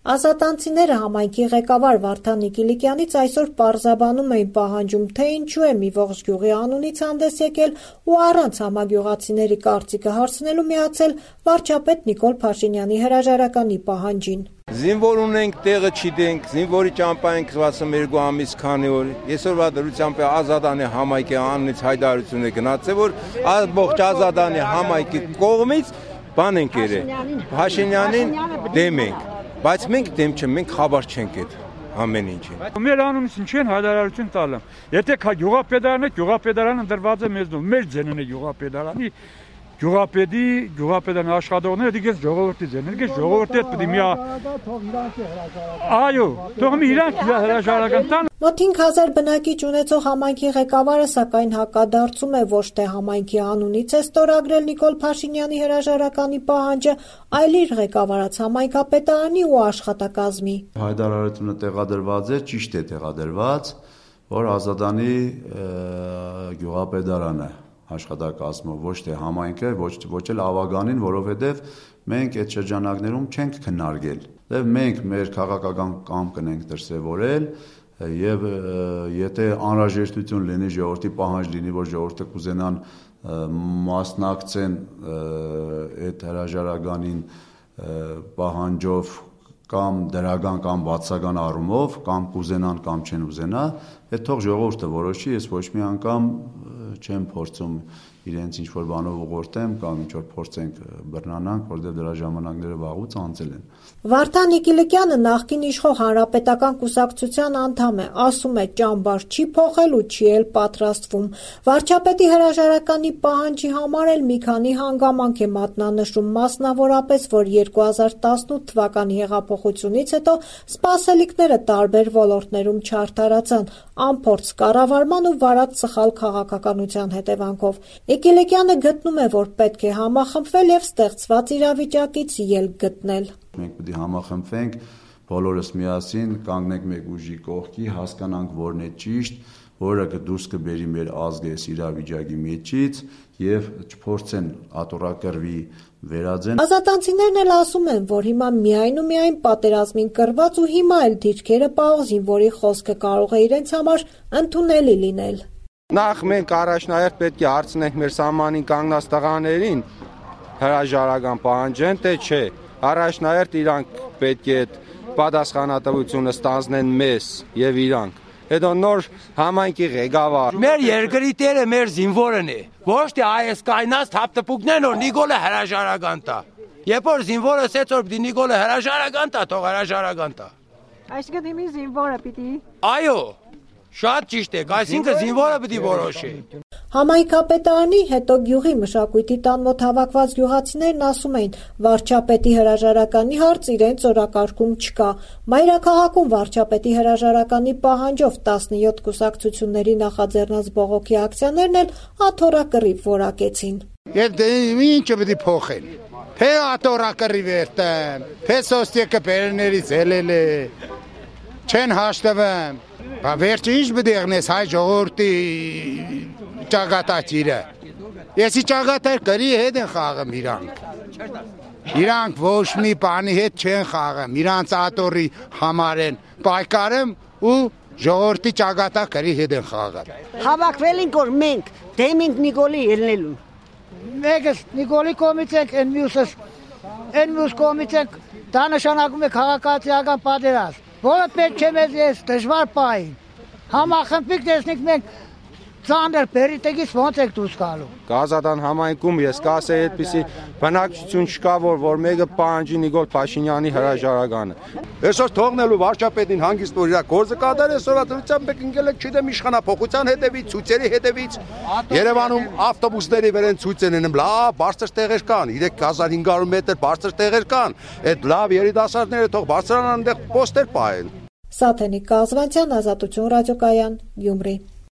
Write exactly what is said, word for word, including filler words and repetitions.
Ազատանցիները համայնքի ղեկավար Վարդան Նիկիլիկյանից այսօր պարզաբանում էին պահանջում, թե ինչու է մի ողջ գյուղի անունից հանդես եկել ու առանց համագյուղացիների կարծիքը հարցնելու միացել վարչապետ Նիկոլ Փաշինյանի հրաժարականի պահանջին։ Զինվոր ունենք, տեղը չգիտենք, զինվորի ճամփա ենք վաթսուններկու ամիս քանի օր։ Այսօրվա դրությամբ Ազատանի համայնքի անունից հայտարարություն է գնացել, որ ամբողջ Ազատանի համայնքի կողմից բան ենք երել, Փաշինյանին դեմ ենք, բայց մենք դեմ չենք, մենք խաբար չենք այդ ամեն ինչին։ Մեր անունից ինչ են հայտարարություն տալը։ Եթե գյուղապետարանը, գյուղապետարանը դրված է մեզնով, մեր ձենն է գյուղապետարանի, գյուղապետի, գյուղապետարանի աշխատողները դիգես ժողովրդի ձենն, դիգես ժողովրդի հետ պետք է միա։ Այո, թող մի իրանք հրաժարական տան։ Մոտ հինգ հազար բնակիչ ունեցող համայնքի ղեկավարը սակայն հակադարձում է ոչ թե համայնքի անունից է ստորագրել Նիկոլ Փաշինյանի հրաժարականի պահանջը, այլ իր ղեկավարած համայնքապետարանի ու աշխատակազմի։ Հայտարարությունը տեղադրված է, ճիշտ է տեղադրված, որ Ազատանի գյուղապետարանը աշխատակազմը, ոչ թե համայնքը, ոչ ոչ էլ ավագանին, որովհետև մենք այդ շրջանակներում չենք քննարկել։ Դե մենք մեր քաղաքական կամքն ենք դրսևորել եւ եթե անհրաժեշտություն լինի ժողովրդի պահանջ լինի, որ ժողովուրդը կուզենան մասնակցեն այդ հրաժարականին պահանջով կամ դրական կամ բացական առումով, կամ կուզենան կամ չեն ուզենա, այդ թող ժողովուրդը որոշի, ես ոչ մի անգամ չեմ փորձում իրենց ինչ-որ բանով ուղղորդեմ կամ ինչ-որ փորձենք բռնանանք, որտեղ դրա ժամանակները վաղուց անցել են։ Վարդան Նիկիլիկյանը նախկին իշխող Հանրապետական կուսակցության անդամ է, ասում է ճամբար չի փոխել ու չի էլ պատրաստվում։ Վարչապետի հրաժարականի պահանջի համար էլ մի քանի հանգամանք է մատնանշում, մասնավորապես, որ երկու հազար տասնութ թվականի հեղափոխությունից հետո սպասելիքները տարբեր ոլորտներում չարդարացան, անփորձ կառավարման ու վարած սխալ քաղաքականության հետևանքով։ Նիկիլիկյանը գտնում է, որ պետք է համախմբվել եւ ստեղծված իրավիճակից ելք գտնել։ Մենք պետք է համախմբվենք, բոլորս միասին կանգնենք մեկ ուժի կողքի, հասկանանք որն է ճիշտ, որը դուրս կբերի մեր ազգը այս իրավիճակի միջից եւ չփորձեն ատորակրվի վերածեն։ Ազատանցիներն էլ ասում են, որ հիմա միայն ու միայն պատերազմին կռված ու հիմա էլ դիրքերը պահող զինվորի խոսքը կարող է իրենց համար ընդունելի լինել։ Նախ մենք առաջնահերթ պետք է հարցնենք մեր սահմանին կանգնած տղաներին հրաժարական պահանջեն, թե չէ։ Առաջնահերթ իրանք պետք է պատասխանատվությունը ստանձնեն մեզ եւ իրանք։ Հետո նոր համայնքի ղեկավար։ Մեր երկրի տերը մեր զինվորն է։ Ոչ թե այս կայնած թափտպուկներն որ Նիկոլը հրաժարական տա։ Երբ որ զինվորը ասեց որ պիտի Նիկոլը հրաժարական տա, թող հրաժարական տա։ Այսինքն հիմի զինվորը պիտի։ Այո, շատ ճիշտ է, այսինքն զինվորը պիտի որոշի։ Համայնքապետարանի հետո գյուղի մշակույթի տան մոտ հավաքված գյուղացիներն ասում էին, վարչապետի հրաժարականի հարց իրենց օրակարգում չկա։ Մայրաքաղաքում վարչապետի հրաժարականի պահանջով տասնյոթ կուսակցությունների նախաձեռնած բողոքի ակցիաներն էլ աթոռակռիվ որակեցին։ Եվ դե ինչը պիտի փոխեն։ Թե աթոռակռիվ երթեմ, թե սոստիկը բերներից ելել է, չեն հաշտվում։ Բա վերջը ինչ պետք է եղնես հայ ժողովրդի ճակատագիրը։ Եսի ճակատագիր գրի հետ են խաղում իրանք։ Իրանք ոչ մի բանի հետ չեն խաղում, իրանց աթոռի համար են պայքարում ու ժողովրդի ճակատագրի հետ են խաղում։ Հավաքվել ենք որ մենք դեմ ենք Նիկոլի ելնելուն։ Մեկս Նիկոլի կողմից ենք, այն մյուսս այն մյուս կողմից ենք, դա նշանակում է քաղաքացիական պատերազմ, որը պետք է մեզ ես դժվար պահին։ Համախմբիկ տեսնենք մենք ծանր պերիտեգից ոնց եք դուրս գալու։ Ազատան համայնքում ես կասեի այդպիսի բնակչություն չկա, որ որ մեկը պահանջի Նիկոլ Փաշինյանի հրաժարականը։ Այսօր թողնելու վարչապետին հանգիստ որ իր գործը կատարի, այսօր դրությամբ եք ընկել եք չդեմ իշխանափոխության հետևից, ցույցերի հետևից։ Երևանում ավտոբուսների վեր են ցույց են անում, լավ բարձր տեղեր կան, երեք հազար հինգ հարյուր մետր բարձր տեղեր կան։ Այդ լավ երիտասարդները թող բարձրանան այնտեղ պոստեր պահեն։ Սաթենիկ Կազվանցյան, Ազատություն ռադիոկայան, Գյումրի։